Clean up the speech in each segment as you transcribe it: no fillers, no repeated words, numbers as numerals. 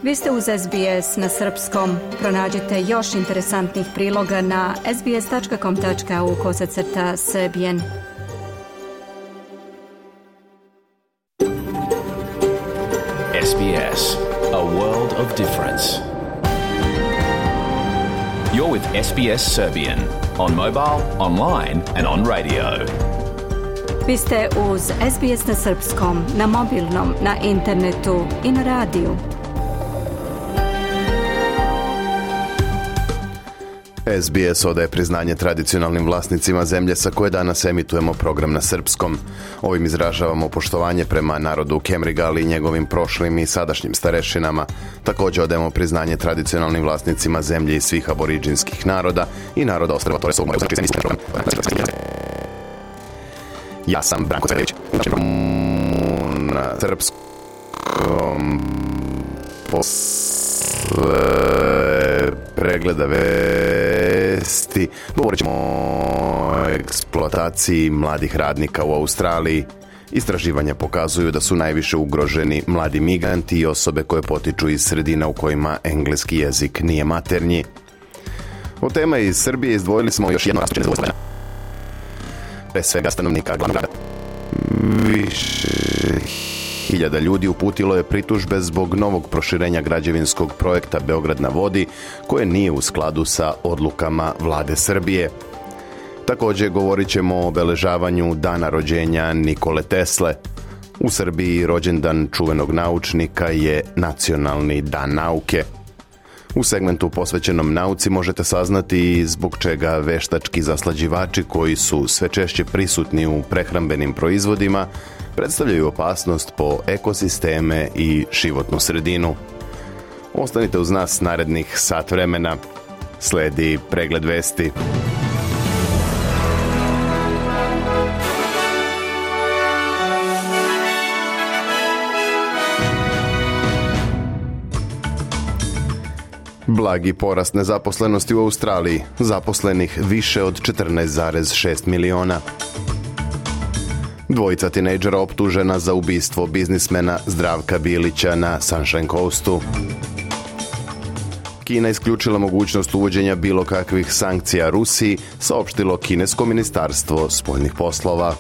Vi ste uz SBS na srpskom. Pronađite još interesantnih priloga na sbs.com.au/serbian. SBS, a world of difference. You're with SBS Serbian on mobile, online and on radio. Vi ste uz SBS na srpskom, na mobilnom, na internetu i na radiju. SBS odaje priznanje tradicionalnim vlasnicima zemlje sa koje danas emitujemo program na srpskom. Ovim izražavamo poštovanje prema narodu Kemrigali i njegovim prošlim i sadašnjim starešinama. Također odajemo priznanje tradicionalnim vlasnicima zemlje i svih aboriđinskih naroda i naroda ostrva Torres. Ja sam Branko Cvelić. Na srpskom pregleda vesti govorit ćemo o eksploataciji mladih radnika u Australiji. Istraživanja pokazuju da su najviše ugroženi mladi migranti i osobe koje potiču iz sredina u kojima engleski jezik nije maternji. Od tema iz Srbije izdvojili smo još jedno rastuće nezadovoljstvo. Pre svega stanovnika glavnog grada. Više hiljada ljudi uputilo je pritužbe zbog novog proširenja građevinskog projekta Beograd na vodi, koje nije u skladu sa odlukama vlade Srbije. Također govorit ćemo o obeležavanju dana rođenja Nikole Tesle. U Srbiji rođendan čuvenog naučnika je Nacionalni dan nauke. U segmentu posvećenom nauci možete saznati zbog čega veštački zaslađivači koji su sve češće prisutni u prehrambenim proizvodima predstavljaju opasnost po ekosisteme i životnu sredinu. Ostanite uz nas narednih sat vremena. Sledi pregled vesti. Blagi porast nezaposlenosti u Australiji, zaposlenih više od 14,6 miliona. Dvojica tinejdžera optužena za ubistvo biznismena Zdravka Bilića na Sunshine Coastu. Kina isključila mogućnost uvođenja bilo kakvih sankcija Rusiji, saopštilo kinesko ministarstvo spoljnih poslova.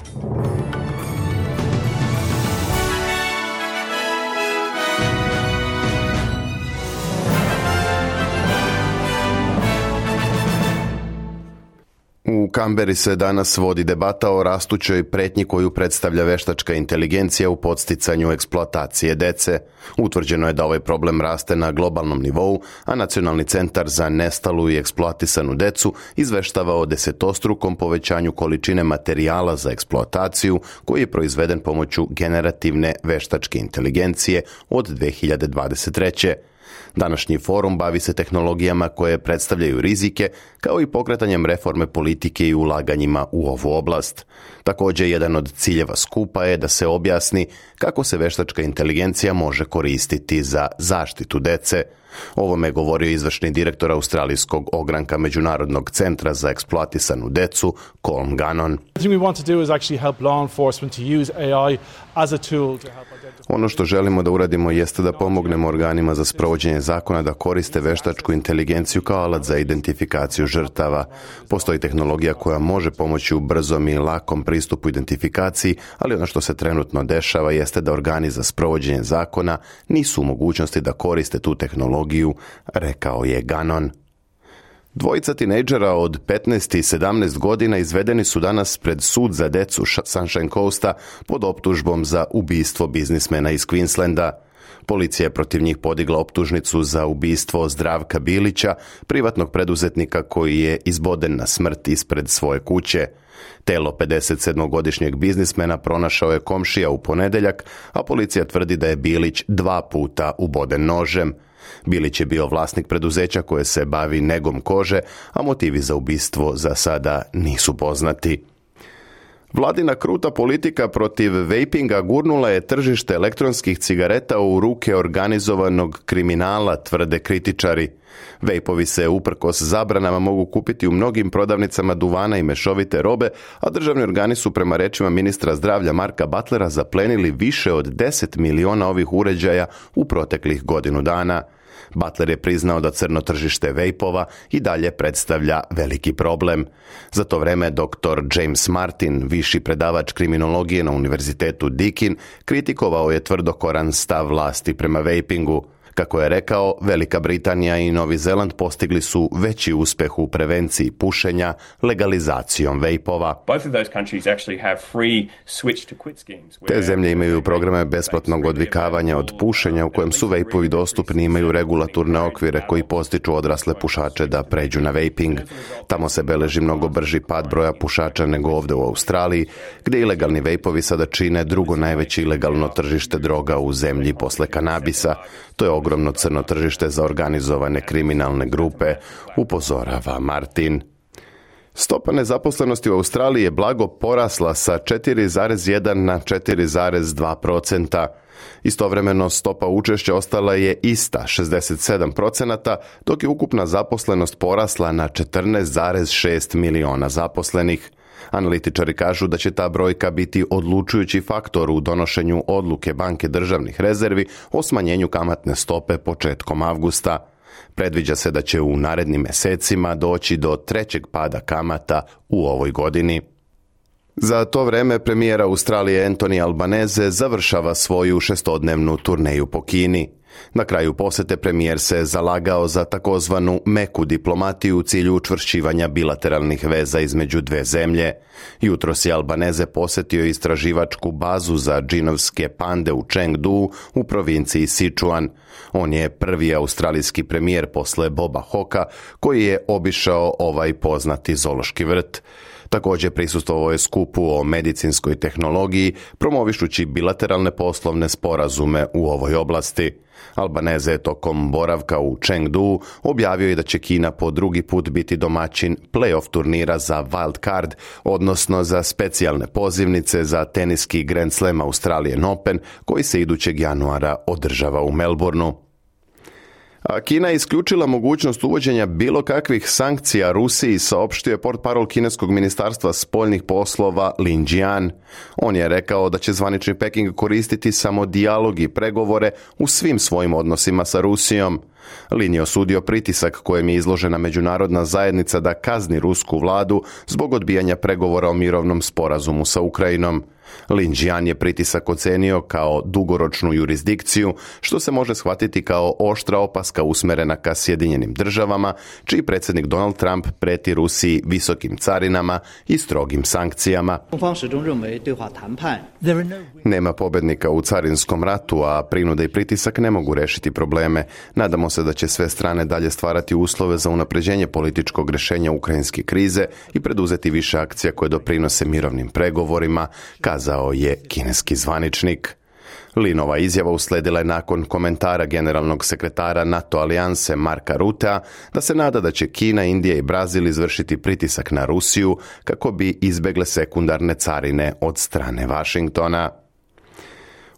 U Kamberi se danas vodi debata o rastućoj pretnji koju predstavlja veštačka inteligencija u podsticanju eksploatacije dece. Utvrđeno je da ovaj problem raste na globalnom nivou, a Nacionalni centar za nestalu i eksploatisanu decu izveštava o desetostrukom povećanju količine materijala za eksploataciju koji je proizveden pomoću generativne veštačke inteligencije od 2023. Današnji forum bavi se tehnologijama koje predstavljaju rizike, kao i pokretanjem reforme politike i ulaganjima u ovu oblast. Također, jedan od ciljeva skupa je da se objasni kako se veštačka inteligencija može koristiti za zaštitu dece. Ovome je govorio izvršni direktor australijskog ogranka Međunarodnog centra za eksploatisanu decu, Colm Gannon. Ono što želimo da uradimo jeste da pomognemo organima za sprovođenje zakona da koriste veštačku inteligenciju kao alat za identifikaciju žrtava. Postoji tehnologija koja može pomoći u brzom i lakom pristupu identifikaciji, ali ono što se trenutno dešava jeste da organi za sprovođenje zakona nisu u mogućnosti da koriste tu tehnologiju, rekao je Gannon. Dvojica tinejdžera od 15 i 17 godina izvedeni su danas pred sud za decu Sunshine Coasta pod optužbom za ubistvo biznismena iz Queenslanda. Policija je protiv njih podigla optužnicu za ubistvo Zdravka Bilića, privatnog preduzetnika koji je izboden na smrt ispred svoje kuće. Telo 57-godišnjeg biznismena pronašao je komšija u ponedjeljak, a policija tvrdi da je Bilić 2 puta uboden nožem. Bilić je bio vlasnik preduzeća koje se bavi negom kože, a motivi za ubistvo za sada nisu poznati. Vladina kruta politika protiv vapinga gurnula je tržište elektronskih cigareta u ruke organizovanog kriminala, tvrde kritičari. Vejpovi se uprkos zabranama mogu kupiti u mnogim prodavnicama duvana i mešovite robe, a državni organi su prema rečima ministra zdravlja Marka Butlera zaplenili više od 10 miliona ovih uređaja u proteklih godinu dana. Butler je priznao da crno tržište vejpova i dalje predstavlja veliki problem. Za to vreme dr. James Martin, viši predavač kriminologije na Univerzitetu Deakin, kritikovao je tvrdokoran stav vlasti prema vejpingu. Kako je rekao, Velika Britanija i Novi Zeland postigli su veći uspeh u prevenciji pušenja legalizacijom vejpova. Te zemlje imaju programe besplatnog odvikavanja od pušenja u kojem su vejpovi dostupni, imaju regulatorne okvire koji postiču odrasle pušače da pređu na vejping. Tamo se beleži mnogo brži pad broja pušača nego ovdje u Australiji, gdje ilegalni vejpovi sada čine drugo najveće ilegalno tržište droga u zemlji posle kanabisa. To je ogromno crno tržište za organizovane kriminalne grupe, upozorava Martin. Stopa nezaposlenosti u Australiji je blago porasla sa 4,1 na 4,2%. Istovremeno stopa učešća ostala je ista, 67%, dok je ukupna zaposlenost porasla na 14,6 miliona zaposlenih. Analitičari kažu da će ta brojka biti odlučujući faktor u donošenju odluke Banke državnih rezervi o smanjenju kamatne stope početkom avgusta. Predviđa se da će u narednim mesecima doći do trećeg pada kamata u ovoj godini. Za to vreme premijer Australije Anthony Albanese završava svoju šestodnevnu turneju po Kini. Na kraju posete premijer se zalagao za takozvanu meku diplomatiju u cilju učvršćivanja bilateralnih veza između dve zemlje. Jutros je Albanese posjetio istraživačku bazu za džinovske pande u Chengdu u provinciji Sichuan. On je prvi australijski premijer posle Boba Hawka koji je obišao ovaj poznati zoološki vrt. Također prisustvovao je skupu o medicinskoj tehnologiji, promovišući bilateralne poslovne sporazume u ovoj oblasti. Albanese je tokom boravka u Chengdu objavio je da će Kina po drugi put biti domaćin play-off turnira za wild card, odnosno za specijalne pozivnice za teniski Grand Slam Australian Open, koji se idućeg januara održava u Melbourneu. A Kina je isključila mogućnost uvođenja bilo kakvih sankcija Rusiji, saopštio je portparol kineskog ministarstva spoljnih poslova Lin Jian. On je rekao da će zvanični Peking koristiti samo dijalog i pregovore u svim svojim odnosima sa Rusijom. Lin je osudio pritisak kojem je izložena međunarodna zajednica da kazni rusku vladu zbog odbijanja pregovora o mirovnom sporazumu sa Ukrajinom. Lin Jian je pritisak ocenio kao dugoročnu jurisdikciju, što se može shvatiti kao oštra opaska usmerena ka Sjedinjenim državama, čiji predsjednik Donald Trump preti Rusiji visokim carinama i strogim sankcijama. Nema pobednika u carinskom ratu, a prinuda i pritisak ne mogu rešiti probleme. Nadamo se da će sve strane dalje stvarati uslove za unapređenje političkog rješenja ukrajinske krize i preduzeti više akcija koje doprinose mirovnim pregovorima, kazao je kineski zvaničnik. Linova izjava usledila je nakon komentara generalnog sekretara NATO alijanse Marka Rutea da se nada da će Kina, Indija i Brazil izvršiti pritisak na Rusiju kako bi izbegle sekundarne carine od strane Vašingtona.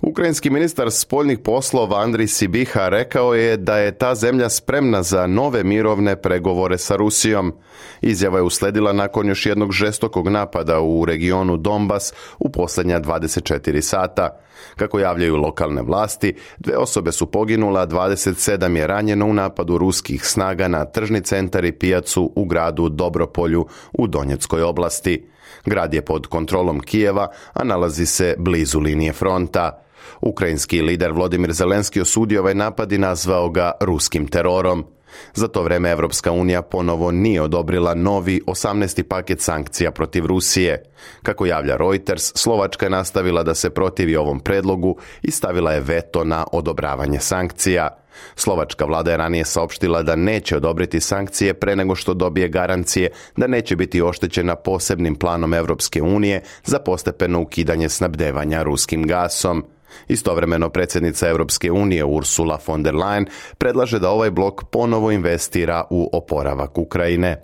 Ukrajinski ministar spoljnih poslova Andrij Sibiha rekao je da je ta zemlja spremna za nove mirovne pregovore sa Rusijom. Izjava je usledila nakon još jednog žestokog napada u regionu Donbas u posljednja 24 sata. Kako javljaju lokalne vlasti, 2 osobe su poginule, a 27 je ranjeno u napadu ruskih snaga na tržni centar i pijacu u gradu Dobropolju u Donjeckoj oblasti. Grad je pod kontrolom Kijeva, a nalazi se blizu linije fronta. Ukrajinski lider Volodymyr Zelenski osudio ovaj napad i nazvao ga ruskim terorom. Za to vreme Evropska unija ponovo nije odobrila novi 18. paket sankcija protiv Rusije. Kako javlja Reuters, Slovačka je nastavila da se protivi ovom predlogu i stavila je veto na odobravanje sankcija. Slovačka vlada je ranije saopštila da neće odobriti sankcije pre nego što dobije garancije da neće biti oštećena posebnim planom Evropske unije za postepeno ukidanje snabdevanja ruskim gasom. Istovremeno predsjednica Europske unije Ursula von der Leyen predlaže da ovaj blok ponovo investira u oporavak Ukrajine.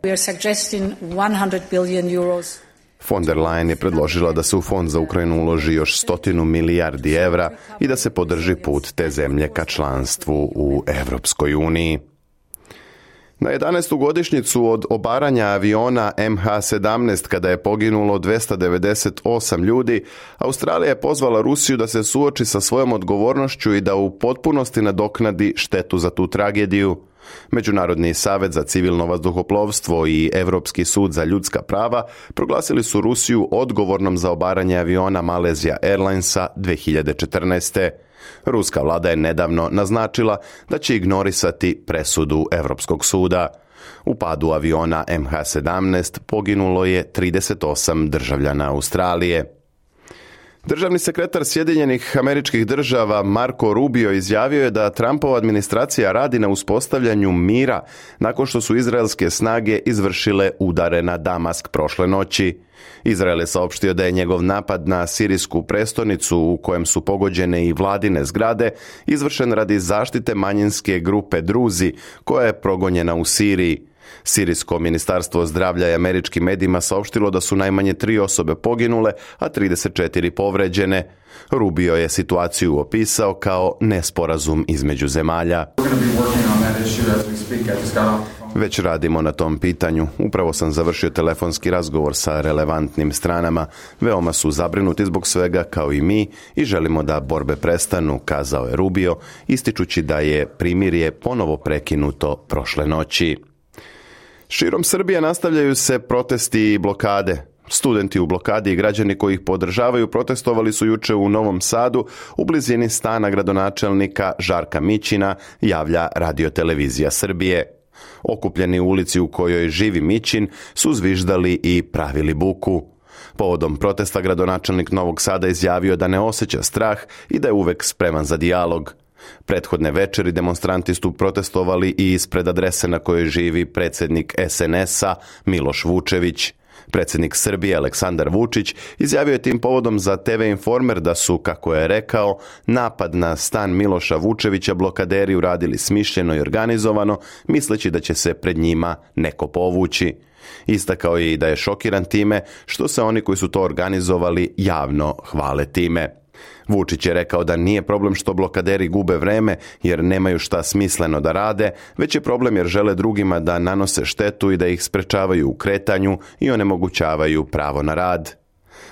Von der Leyen je predložila da se u fond za Ukrajinu uloži još 100 milijardi evra i da se podrži put te zemlje ka članstvu u Evropskoj uniji. Na 11. godišnjicu od obaranja aviona MH17 kada je poginulo 298 ljudi, Australija je pozvala Rusiju da se suoči sa svojom odgovornošću i da u potpunosti nadoknadi štetu za tu tragediju. Međunarodni savez za civilno vazduhoplovstvo i Europski sud za ljudska prava proglasili su Rusiju odgovornom za obaranje aviona Malaysia Airlinesa 2014. Ruska vlada je nedavno naznačila da će ignorisati presudu Europskog suda. U padu aviona MH17 poginulo je 38 državljana Australije. Državni sekretar Sjedinjenih Američkih Država Marco Rubio izjavio je da Trumpova administracija radi na uspostavljanju mira nakon što su izraelske snage izvršile udare na Damask prošle noći. Izrael je saopštio da je njegov napad na sirijsku prestonicu u kojem su pogođene i vladine zgrade izvršen radi zaštite manjinske grupe Druzi koja je progonjena u Siriji. Sirijsko ministarstvo zdravlja i američkim medijima saopštilo da su najmanje 3 osobe poginule, a 34 povređene. Rubio je situaciju opisao kao nesporazum između zemalja. Već radimo na tom pitanju. Upravo sam završio telefonski razgovor sa relevantnim stranama. Veoma su zabrinuti zbog svega kao i mi i želimo da borbe prestanu, kazao je Rubio, ističući da je primirje ponovo prekinuto prošle noći. Širom Srbije nastavljaju se protesti i blokade. Studenti u blokadi i građani koji ih podržavaju protestovali su juče u Novom Sadu u blizini stana gradonačelnika Žarka Mićina, javlja Radio-televizija Srbije. Okupljeni u ulici u kojoj živi Mićin su zviždali i pravili buku. Povodom protesta gradonačelnik Novog Sada izjavio da ne osjeća strah i da je uvek spreman za dijalog. Prethodne večeri demonstranti su protestovali i ispred adrese na kojoj živi predsjednik SNS-a Miloš Vučević. Predsjednik Srbije Aleksandar Vučić izjavio je tim povodom za TV Informer da su, kako je rekao, napad na stan Miloša Vučevića blokaderi uradili smišljeno i organizovano, misleći da će se pred njima neko povući. Istakao je i da je šokiran time što se oni koji su to organizovali javno hvale time. Vučić je rekao da nije problem što blokaderi gube vreme jer nemaju šta smisleno da rade, već je problem jer žele drugima da nanose štetu i da ih sprečavaju u kretanju i onemogućavaju pravo na rad.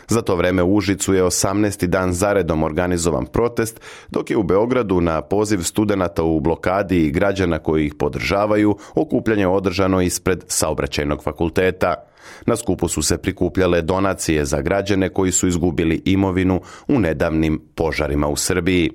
Za to vreme u Užicu je 18. dan zaredom organizovan protest, dok je u Beogradu na poziv studenata u blokadi i građana koji ih podržavaju okupljanje održano ispred Saobraćajnog fakulteta. Na skupu su se prikupljale donacije za građane koji su izgubili imovinu u nedavnim požarima u Srbiji.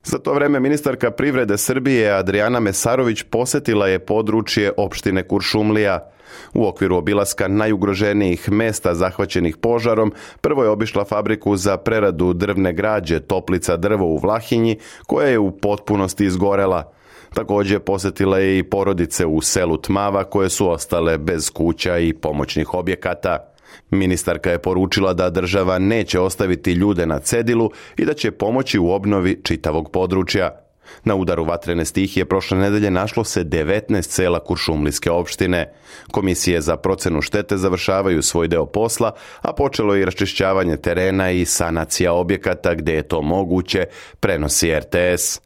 Za to vreme ministarka privrede Srbije Adriana Mesarović posjetila je područje opštine Kuršumlija. U okviru obilaska najugroženijih mesta zahvaćenih požarom, prvo je obišla fabriku za preradu drvne građe Toplica drvo u Vlahinji, koja je u potpunosti izgorela. Također posjetila je i porodice u selu Tmava koje su ostale bez kuća i pomoćnih objekata. Ministarka je poručila da država neće ostaviti ljude na cedilu i da će pomoći u obnovi čitavog područja. Na udaru vatrene stihije prošle nedelje našlo se 19 sela Kuršumlijske opštine. Komisije za procenu štete završavaju svoj deo posla, a počelo je i raščišćavanje terena i sanacija objekata gdje je to moguće, prenosi RTS.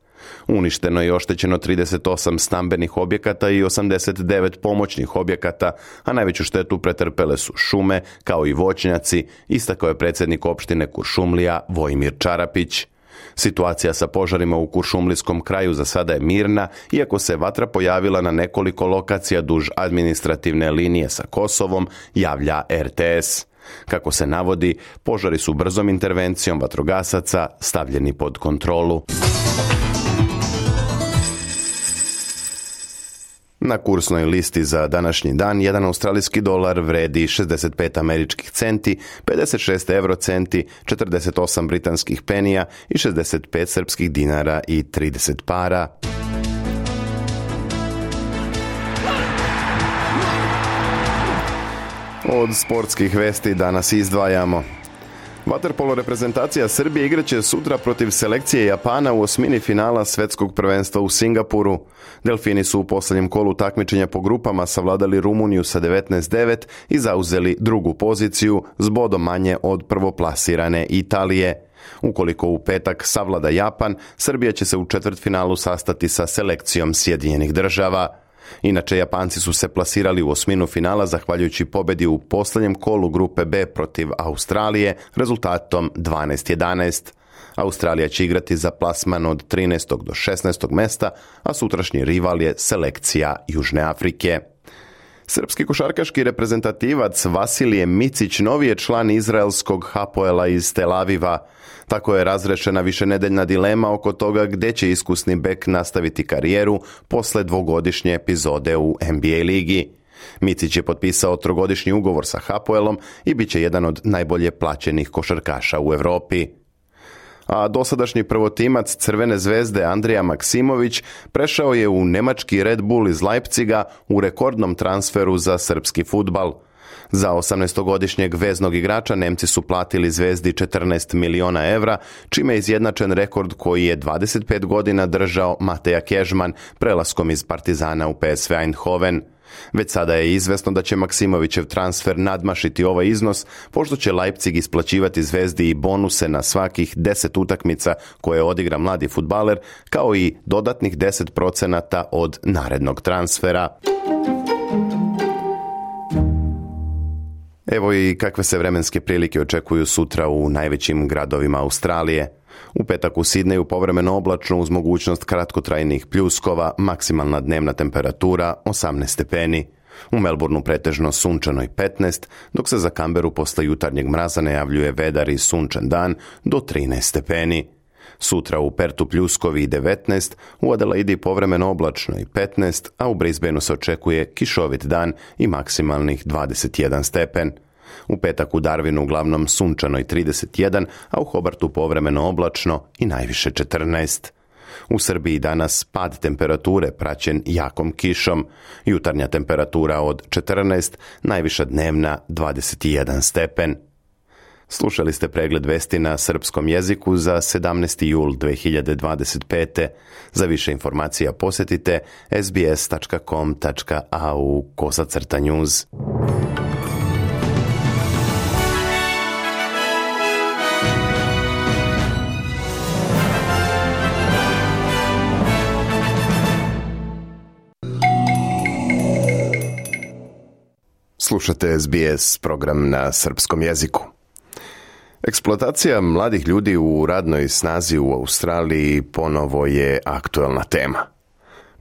Uništeno je i oštećeno 38 stambenih objekata i 89 pomoćnih objekata, a najveću štetu pretrpele su šume kao i voćnjaci, istakao je predsjednik opštine Kuršumlija Vojmir Čarapić. Situacija sa požarima u Kuršumlijskom kraju za sada je mirna, iako se vatra pojavila na nekoliko lokacija duž administrativne linije sa Kosovom, javlja RTS. Kako se navodi, požari su brzom intervencijom vatrogasaca stavljeni pod kontrolu. Na kursnoj listi za današnji dan jedan australijski dolar vredi 65 američkih centi, 56 eurocenti, 48 britanskih penija i 65 srpskih dinara i 30 para. Od sportskih vesti danas izdvajamo. Vaterpolo reprezentacija Srbije igraće sutra protiv selekcije Japana u osmini finala Svetskog prvenstva u Singapuru. Delfini su u posljednjem kolu takmičenja po grupama savladali Rumuniju sa 19-9 i zauzeli drugu poziciju s bodom manje od prvoplasirane Italije. Ukoliko u petak savlada Japan, Srbija će se u četvrtfinalu sastati sa selekcijom Sjedinjenih Država. Inače, Japanci su se plasirali u osminu finala zahvaljujući pobjedi u posljednjem kolu grupe B protiv Australije rezultatom 12-11. Australija će igrati za plasman od 13. do 16. mesta, a sutrašnji rival je selekcija Južne Afrike. Srpski košarkaški reprezentativac Vasilije Micić novi je član izraelskog Hapoela iz Tel Aviva. Tako je razrešena višenedeljna dilema oko toga gdje će iskusni bek nastaviti karijeru posle dvogodišnje epizode u NBA ligi. Micić je potpisao trogodišnji ugovor sa Hapoelom i bit će jedan od najbolje plaćenih košarkaša u Europi. A dosadašnji prvotimac Crvene zvezde Andrija Maksimović prešao je u nemački Red Bull iz Leipziga u rekordnom transferu za srpski fudbal. Za 18-godišnjeg veznog igrača Nemci su platili Zvezdi 14 miliona evra, čime je izjednačen rekord koji je 25 godina držao Mateja Kežman prelaskom iz Partizana u PSV Eindhoven. Već sada je izvesno da će Maksimovićev transfer nadmašiti ovaj iznos, pošto će Leipzig isplaćivati Zvezdi i bonuse na svakih 10 utakmica koje odigra mladi fudbaler, kao i dodatnih 10% od narednog transfera. Evo i kakve se vremenske prilike očekuju sutra u najvećim gradovima Australije. U petak u Sidneju povremeno oblačno uz mogućnost kratkotrajnih pljuskova, maksimalna dnevna temperatura 18 stepeni. U Melbourneu pretežno sunčano i 15, dok se za Canberu posle jutarnjeg mraza najavljuje vedar i sunčan dan do 13 stepeni. Sutra u Pertu pljuskovi i 19, u Adelaidi povremeno oblačno i 15, a u Brisbaneu se očekuje kišovit dan i maksimalnih 21 stepen. U petak u Darwinu uglavnom sunčano i 31, a u Hobartu povremeno oblačno i najviše 14. U Srbiji danas pad temperature praćen jakom kišom, jutarnja temperatura od 14, najviša dnevna 21 stepen. Slušali ste pregled vesti na srpskom jeziku za 17. jul 2025. Za više informacija posjetite sbs.com.au/news. Slušate SBS program na srpskom jeziku. Eksploatacija mladih ljudi u radnoj snazi u Australiji ponovo je aktuelna tema.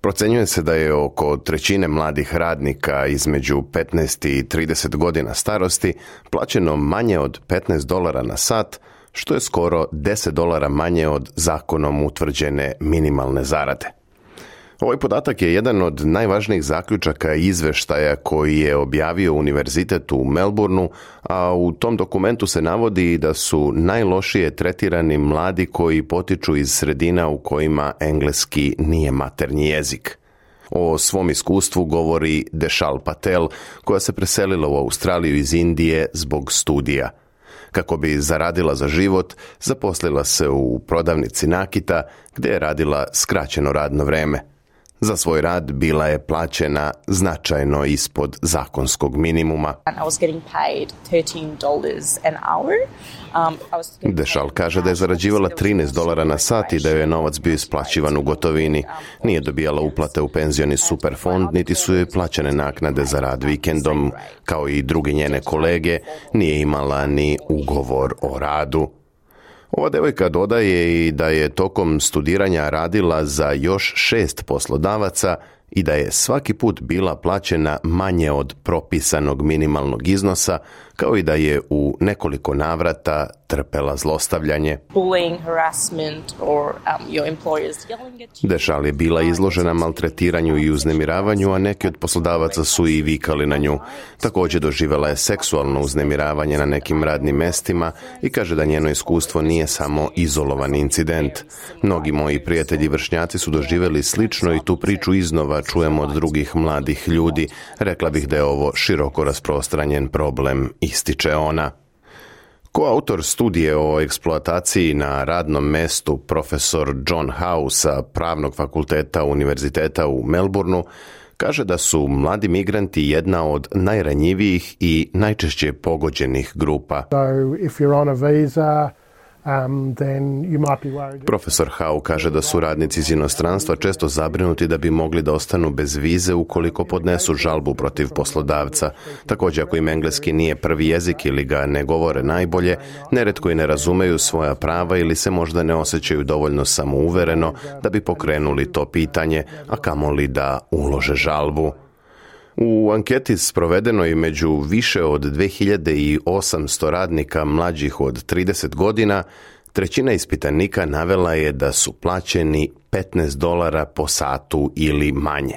Procenjuje se da je oko trećine mladih radnika između 15 i 30 godina starosti plaćeno manje od $15 na sat, što je skoro $10 manje od zakonom utvrđene minimalne zarade. Ovaj podatak je jedan od najvažnijih zaključaka izveštaja koji je objavio Univerzitet u Melbourneu, a u tom dokumentu se navodi da su najlošije tretirani mladi koji potiču iz sredina u kojima engleski nije maternji jezik. O svom iskustvu govori Deshal Patel, koja se preselila u Australiju iz Indije zbog studija. Kako bi zaradila za život, zaposlila se u prodavnici nakita, gdje je radila skraćeno radno vreme. Za svoj rad bila je plaćena značajno ispod zakonskog minimuma. Deshal kaže da je zarađivala $13 na sat i da joj je novac bio isplaćivan u gotovini. Nije dobijala uplate u penzioni superfond, niti su joj plaćene naknade za rad vikendom. Kao i drugi njene kolege, nije imala ni ugovor o radu. Ova devojka dodaje i da je tokom studiranja radila za još 6 poslodavaca i da je svaki put bila plaćena manje od propisanog minimalnog iznosa, kao i da je u nekoliko navrata trpela zlostavljanje. Deshal je bila izložena maltretiranju i uznemiravanju, a neki od poslodavaca su i vikali na nju. Također doživjela je seksualno uznemiravanje na nekim radnim mestima i kaže da njeno iskustvo nije samo izolovan incident. Mnogi moji prijatelji vršnjaci su doživjeli slično i tu priču iznova čujemo od drugih mladih ljudi. Rekla bih da je ovo široko rasprostranjen problem, ističe ona. Koautor studije o eksploataciji na radnom mestu, profesor John Howe sa Pravnog fakulteta Univerziteta u Melbourneu, kaže da su mladi migranti jedna od najranjivijih i najčešće pogođenih grupa. Profesor Howe kaže da su radnici iz inostranstva često zabrinuti da bi mogli da ostanu bez vize ukoliko podnesu žalbu protiv poslodavca. Također, ako im engleski nije prvi jezik ili ga ne govore najbolje, neretko i ne razumeju svoja prava ili se možda ne osjećaju dovoljno samouvereno da bi pokrenuli to pitanje, a kamoli da ulože žalbu. U anketi sprovedenoj među više od 2800 radnika mlađih od 30 godina, trećina ispitanika navela je da su plaćeni $15 po satu ili manje.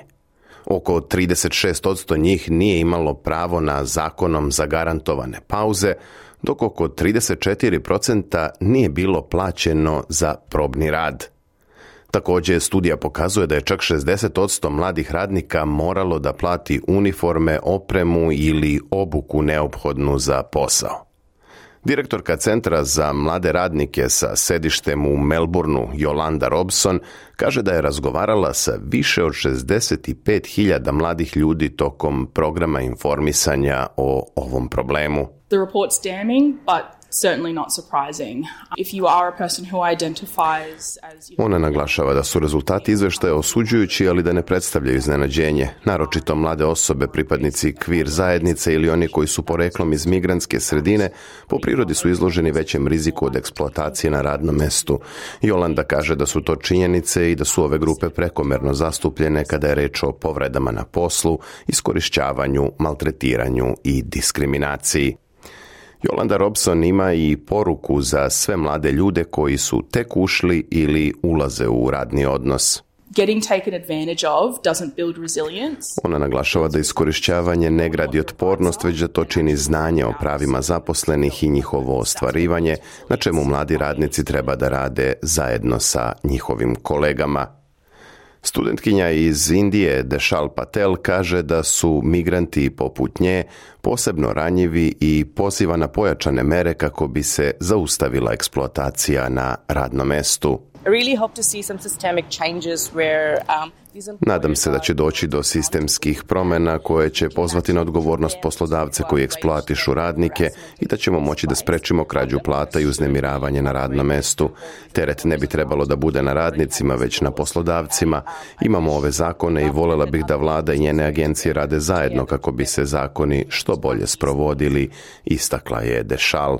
Oko 36% njih nije imalo pravo na zakonom zagarantovane pauze, dok oko 34% nije bilo plaćeno za probni rad. Također, studija pokazuje da je čak 60% mladih radnika moralo da plati uniforme, opremu ili obuku neophodnu za posao. Direktorka Centra za mlade radnike sa sedištem u Melbourneu, Jolanda Robson, kaže da je razgovarala sa više od 65.000 mladih ljudi tokom programa informisanja o ovom problemu. The report's damning, but certainly not surprising. If you are a person who identifies as... Ona naglašava da su rezultati izveštaja osuđujući, ali da ne predstavljaju iznenađenje. Naročito mlade osobe, pripadnici queer zajednice ili oni koji su poreklom iz migrantske sredine, po prirodi su izloženi većem riziku od eksploatacije na radnom mestu. Jolanda kaže da su to činjenice i da su ove grupe prekomerno zastupljene kada je reč o povredama na poslu, iskorišćavanju, maltretiranju i diskriminaciji. Jolanda Robson ima i poruku za sve mlade ljude koji su tek ušli ili ulaze u radni odnos. Getting taken advantage of doesn't build resilience. Ona naglašava da iskorišćavanje ne gradi otpornost, već da to čini znanje o pravima zaposlenih i njihovo ostvarivanje, na čemu mladi radnici treba da rade zajedno sa njihovim kolegama. Studentkinja iz Indije, Deshal Patel, kaže da su migranti poput nje posebno ranjivi i poziva na pojačane mere kako bi se zaustavila eksploatacija na radnom mestu. Nadam se da će doći do sistemskih promjena koje će pozvati na odgovornost poslodavce koji eksploatišu radnike i da ćemo moći da sprečimo krađu plata i uznemiravanje na radnom mestu. Teret ne bi trebalo da bude na radnicima, već na poslodavcima. Imamo ove zakone i voljela bih da vlada i njene agencije rade zajedno kako bi se zakoni što bolje sprovodili, istakla je Deshal.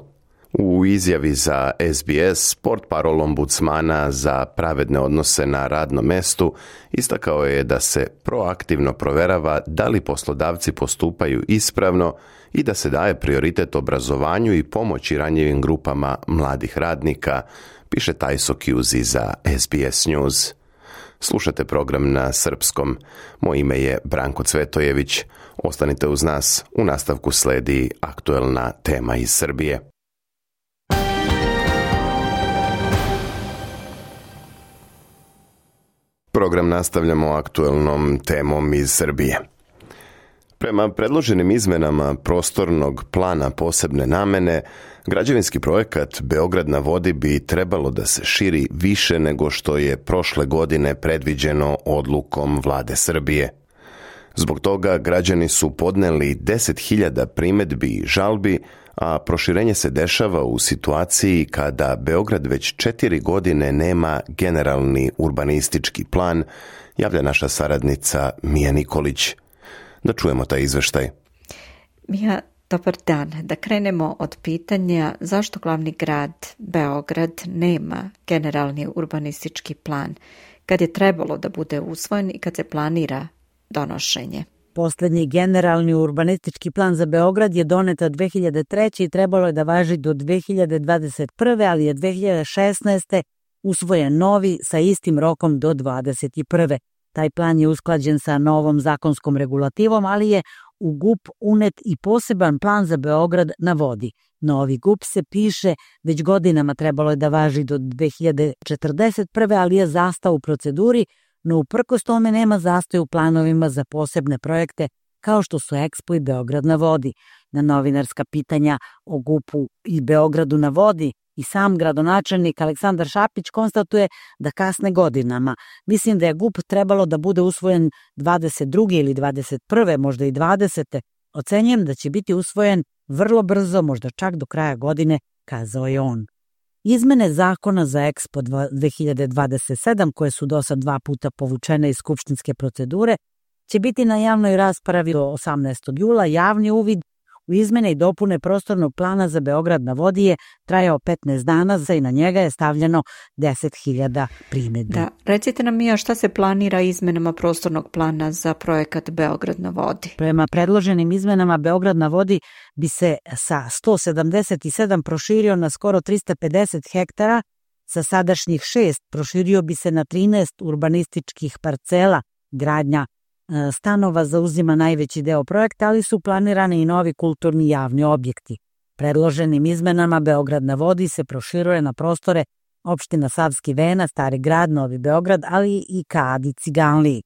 U izjavi za SBS, portparol ombudsmana za pravedne odnose na radnom mestu istakao je da se proaktivno proverava da li poslodavci postupaju ispravno i da se daje prioritet obrazovanju i pomoći ranjivim grupama mladih radnika, piše Tajso Kjuzi za SBS News. Slušate program na srpskom. Moje ime je Branko Cvetojević. Ostanite uz nas, u nastavku sledi aktuelna tema iz Srbije. Program nastavljamo aktuelnom temom iz Srbije. Prema predloženim izmenama prostornog plana posebne namene, građevinski projekat Beograd na vodi bi trebalo da se širi više nego što je prošle godine predviđeno odlukom Vlade Srbije. Zbog toga građani su podneli 10.000 primedbi i žalbi, a proširenje se dešava u situaciji kada Beograd već 4 godine nema generalni urbanistički plan, javlja naša saradnica Mija Nikolić. Da čujemo taj izveštaj. Mija, dobar dan. Da krenemo od pitanja zašto glavni grad Beograd nema generalni urbanistički plan, kad je trebalo da bude usvojen i kad se planira donošenje. Poslednji generalni urbanistički plan za Beograd je donet 2003. i trebalo je da važi do 2021. ali je 2016. usvojen novi sa istim rokom do 2021. Taj plan je usklađen sa novom zakonskom regulativom, ali je u GUP unet i poseban plan za Beograd na vodi. Novi GUP se piše, već godinama trebalo je da važi do 2041. ali je zastao u proceduri, no uprkos tome nema zastoj u planovima za posebne projekte kao što su Expo i Beograd na vodi. Na novinarska pitanja o GUP-u i Beogradu na vodi i sam gradonačelnik Aleksandar Šapić konstatuje da kasne godinama. Mislim da je GUP trebalo da bude usvojen 22. ili 21. možda i 20. Ocenjujem da će biti usvojen vrlo brzo, možda čak do kraja godine, kazao je on. Izmene zakona za EXPO 2027, koje su do sad 2 puta povučene iz skupštinske procedure, će biti na javnoj raspravi do 18. jula. Javni uvid u izmene i dopune prostornog plana za Beograd na vodi je trajao 15 dana i na njega je stavljeno 10.000 primjedbi. Da, recite nam Mija, šta se planira izmenama prostornog plana za projekat Beograd na vodi? Prema predloženim izmenama, Beograd na vodi bi se sa 177 proširio na skoro 350 hektara, sa sadašnjih 6 proširio bi se na 13 urbanističkih parcela. Gradnja stanova zauzima najveći deo projekta, ali su planirani i novi kulturni javni objekti. Predloženim izmenama Beograd na vodi se proširuje na prostore opština Savski Venac, Stari grad, Novi Beograd, ali i Kad i Ciganliji.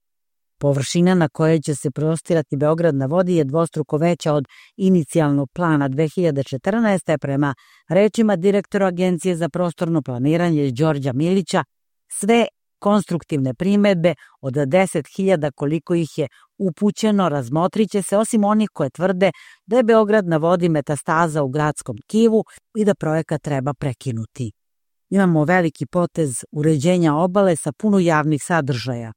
Površina na kojoj će se prostirati Beograd na vodi je dvostruko veća od inicijalnog plana 2014. Prema rečima direktora Agencije za prostorno planiranje Đorđa Milića, sve konstruktivne primedbe od 10.000 koliko ih je upućeno razmotrit će se, osim onih koje tvrde da je Beograd na vodi metastaza u gradskom tkivu i da projekat treba prekinuti. Imamo veliki potez uređenja obale sa puno javnih sadržaja.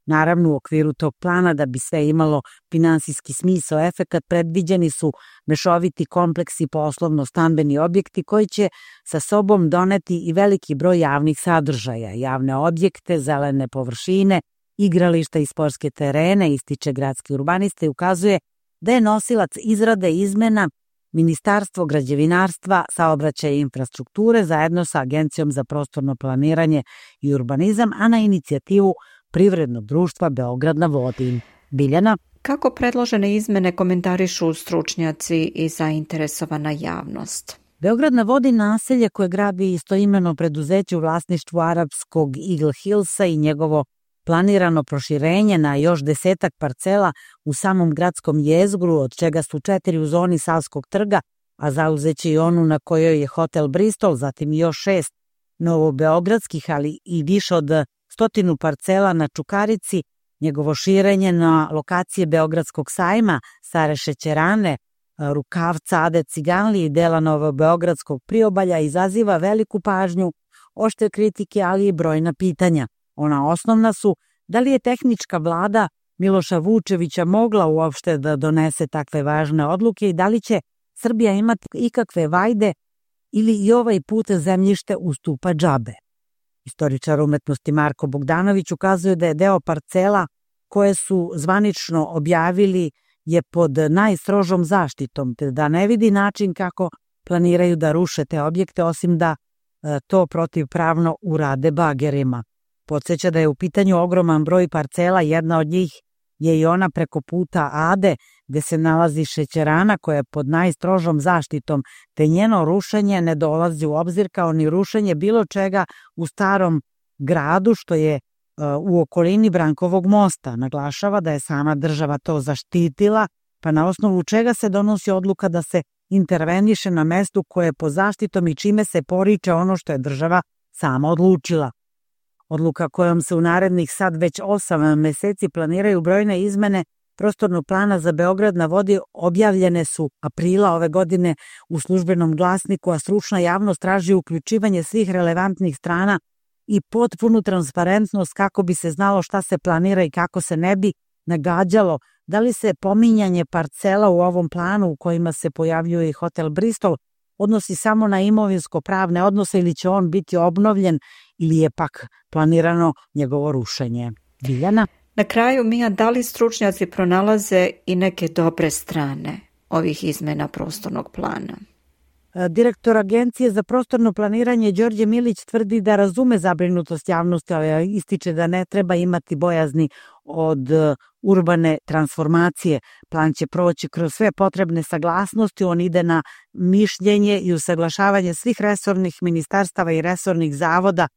Naravno, u okviru tog plana, da bi sve imalo finansijski smisao, efekat, predviđeni su mešoviti kompleksi poslovno-stambeni objekti koji će sa sobom doneti i veliki broj javnih sadržaja, javne objekte, zelene površine, igrališta i sportske terene, ističe gradski urbanista i ukazuje da je nosilac izrade izmena Ministarstvo građevinarstva, saobraćaja i infrastrukture zajedno sa Agencijom za prostorno planiranje i urbanizam, a na inicijativu Privrednog društva Beograd na vodi. Biljana? Kako predložene izmene komentarišu stručnjaci i zainteresovana javnost? Beograd na vodi naselje koje gradi istoimeno preduzeće u vlasništvu arapskog Eagle Hillsa i njegovo planirano proširenje na još 10 parcela u samom gradskom jezgru, od čega su 4 u zoni Savskog trga, a zauzeće i onu na kojoj je hotel Bristol, zatim još 6 novobeogradskih, ali i više od 100 parcela na Čukarici, njegovo širenje na lokacije Beogradskog sajma, Stare šećerane, Rukavca, Ade Ciganlije i dela novobeogradskog priobalja izaziva veliku pažnju, oštre kritike, ali i brojna pitanja. Ona osnovna su: da li je tehnička vlada Miloša Vučevića mogla uopšte da donese takve važne odluke i da li će Srbija imati ikakve vajde ili i ovaj put zemljište ustupa džabe. Istoričar umetnosti Marko Bogdanović ukazuje da je deo parcela koje su zvanično objavili je pod najstrožom zaštitom, te da ne vidi način kako planiraju da ruše te objekte, osim da to protivpravno urade bagerima. Podsjeća da je u pitanju ogroman broj parcela, jedna od njih je i ona preko puta Ade, gde se nalazi šećerana koja je pod najstrožom zaštitom, te njeno rušenje ne dolazi u obzir kao ni rušenje bilo čega u starom gradu što je u okolini Brankovog mosta. Naglašava da je sama država to zaštitila, pa na osnovu čega se donosi odluka da se interveniše na mestu koje je pod zaštitom i čime se poriče ono što je država sama odlučila. Odluka kojom se u narednih sad već 8 meseci planiraju brojne izmene prostornog plana za Beograd na vodi objavljene su aprila ove godine u Službenom glasniku, a stručna javnost traži uključivanje svih relevantnih strana i potpunu transparentnost kako bi se znalo šta se planira i kako se ne bi nagađalo da li se pominjanje parcela u ovom planu u kojima se pojavljuje i hotel Bristol odnosi samo na imovinsko-pravne odnose ili će on biti obnovljen ili je pak planirano njegovo rušenje. Biljana? Na kraju, Mija, da li stručnjaci pronalaze i neke dobre strane ovih izmena prostornog plana? Direktor Agencije za prostorno planiranje Đorđe Milić tvrdi da razume zabrinutost javnosti, ali ističe da ne treba imati bojazni od urbane transformacije. Plan će proći kroz sve potrebne saglasnosti, on ide na mišljenje i usaglašavanje svih resornih ministarstava i resornih zavoda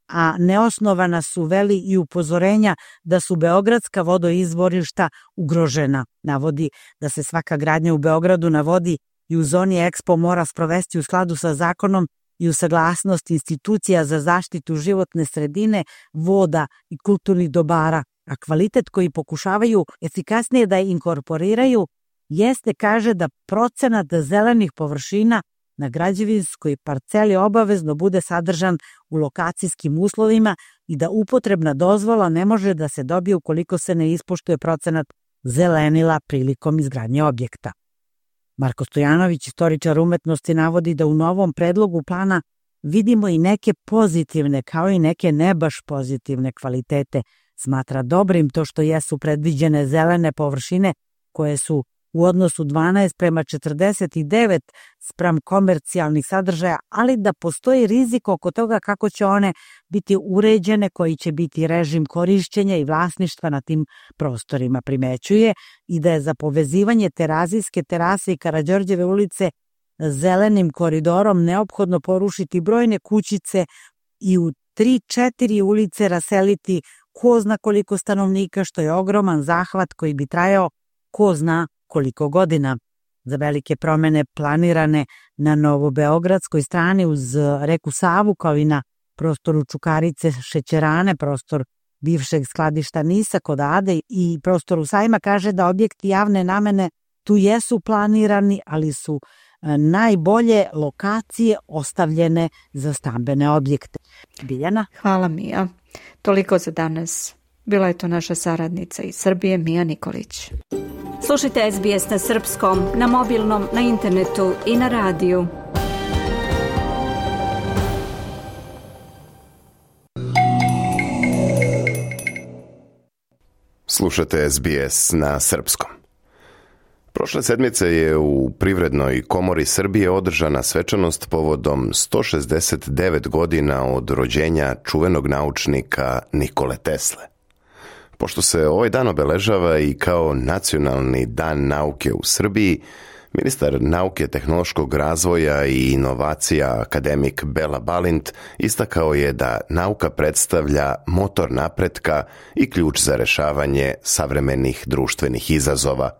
a neosnovana su veli i upozorenja da su beogradska vodoizvorišta ugrožena. Navodi da se svaka gradnja u Beogradu na vodi i u zoni Expo mora sprovesti u skladu sa zakonom i u saglasnost institucija za zaštitu životne sredine, voda i kulturnih dobara, a kvalitet koji pokušavaju efikasnije da inkorporiraju jeste, kaže, da procenat zelenih površina na građevinskoj parceli obavezno bude sadržan u lokacijskim uslovima i da upotrebna dozvola ne može da se dobije ukoliko se ne ispoštuje procenat zelenila prilikom izgradnje objekta. Marko Stojanović, istoričar umetnosti, navodi da u novom predlogu plana vidimo i neke pozitivne kao i neke ne baš pozitivne kvalitete. Smatra dobrim to što jesu predviđene zelene površine koje su u odnosu 12:49 spram komercijalnih sadržaja, ali da postoji rizik oko toga kako će one biti uređene, koji će biti režim korišćenja i vlasništva na tim prostorima. Primećuje i da je za povezivanje Terazijske terase i Karađorđeve ulice zelenim koridorom neophodno porušiti brojne kućice i u 3-4 ulice raseliti ko zna koliko stanovnika, što je ogroman zahvat koji bi trajao ko zna koliko godina. Za velike promene planirane na novobeogradskoj strani uz reku Savu, kao i na prostoru Čukarice, Šećerane, prostor bivšeg skladišta Nisa kod Ade i prostoru Sajma, kaže da objekti javne namene tu jesu planirani, ali su najbolje lokacije ostavljene za stambene objekte. Biljana? Hvala, Mija. Toliko za danas. Bila je to naša saradnica iz Srbije, Mija Nikolić. Slušajte SBS na srpskom, na mobilnom, na internetu i na radiju. Slušate SBS na srpskom. Prošle sedmice je u Privrednoj komori Srbije održana svečanost povodom 169 godina od rođenja čuvenog naučnika Nikole Tesle. Pošto se ovaj dan obeležava i kao nacionalni dan nauke u Srbiji, ministar nauke, tehnološkog razvoja i inovacija akademik Bela Balint istakao je da nauka predstavlja motor napretka i ključ za rešavanje savremenih društvenih izazova.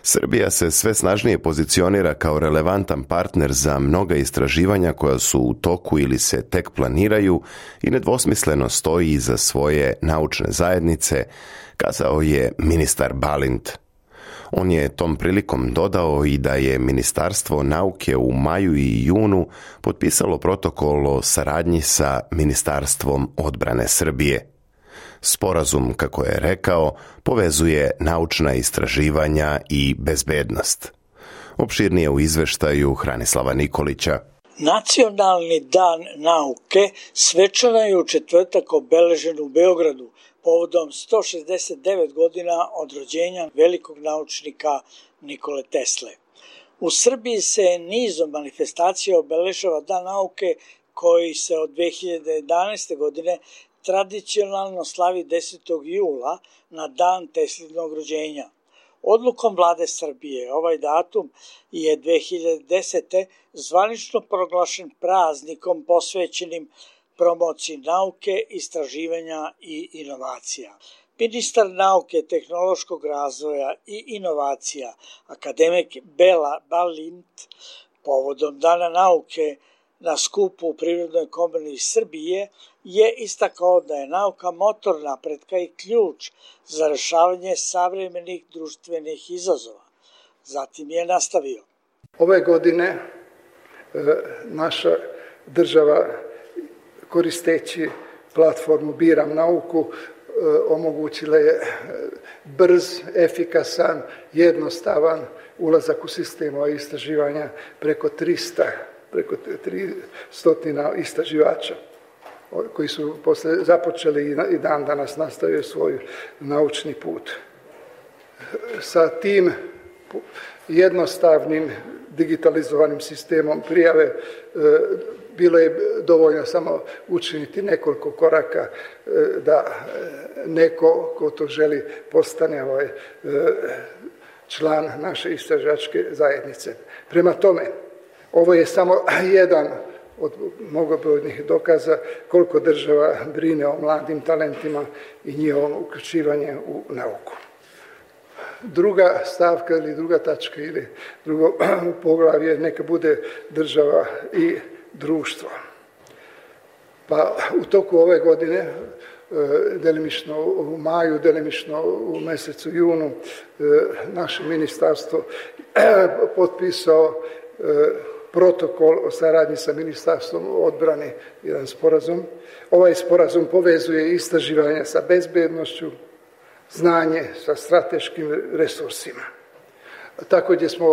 Srbija se sve snažnije pozicionira kao relevantan partner za mnoga istraživanja koja su u toku ili se tek planiraju i nedvosmisleno stoji iza svoje naučne zajednice, kazao je ministar Balint. On je tom prilikom dodao i da je Ministarstvo nauke u maju i junu potpisalo protokol o saradnji sa Ministarstvom odbrane Srbije. Sporazum, kako je rekao, povezuje naučna istraživanja i bezbednost. Opširnije u izveštaju Hranislava Nikolića. Nacionalni dan nauke svečano je u četvrtak obeležen u Beogradu povodom 169 godina od rođenja velikog naučnika Nikole Tesle. U Srbiji se nizom manifestacija obeležava dan nauke koji se od 2011. godine tradicionalno slavi 10. jula na dan Teslinog rođenja. Odlukom vlade Srbije ovaj datum je 2010. zvanično proglašen praznikom posvećenim promociji nauke, istraživanja i inovacija. Ministar nauke, tehnološkog razvoja i inovacija, akademik Bela Balint, povodom Dana nauke na skupu u Privrednoj komori Srbije, je istakao da je nauka motor napretka i ključ za rešavanje savremenih društvenih izazova. Zatim je nastavio. Ove godine naša država, koristeći platformu Biram nauku, omogućila je brz, efikasan, jednostavan ulazak u sistem istraživanja preko 300 istraživača koji su posle započeli i dan danas nastavljaju svoj naučni put. Sa tim jednostavnim digitalizovanim sistemom prijave bilo je dovoljno samo učiniti nekoliko koraka da neko ko to želi postane član naše istraživačke zajednice. Prema tome, ovo je samo jedan od mnogobrojnih dokaza koliko država brine o mladim talentima i njihovom uključivanje u nauku. Druga stavka ili druga tačka ili drugo poglavlje neka bude država i društvo. Pa u toku ove godine, delimično u maju, delimično u mjesecu junu, naše ministarstvo potpisao protokol o saradnji sa Ministarstvom odbrane, jedan sporazum. Ovaj sporazum povezuje istraživanja sa bezbednošću, znanje sa strateškim resursima. Također smo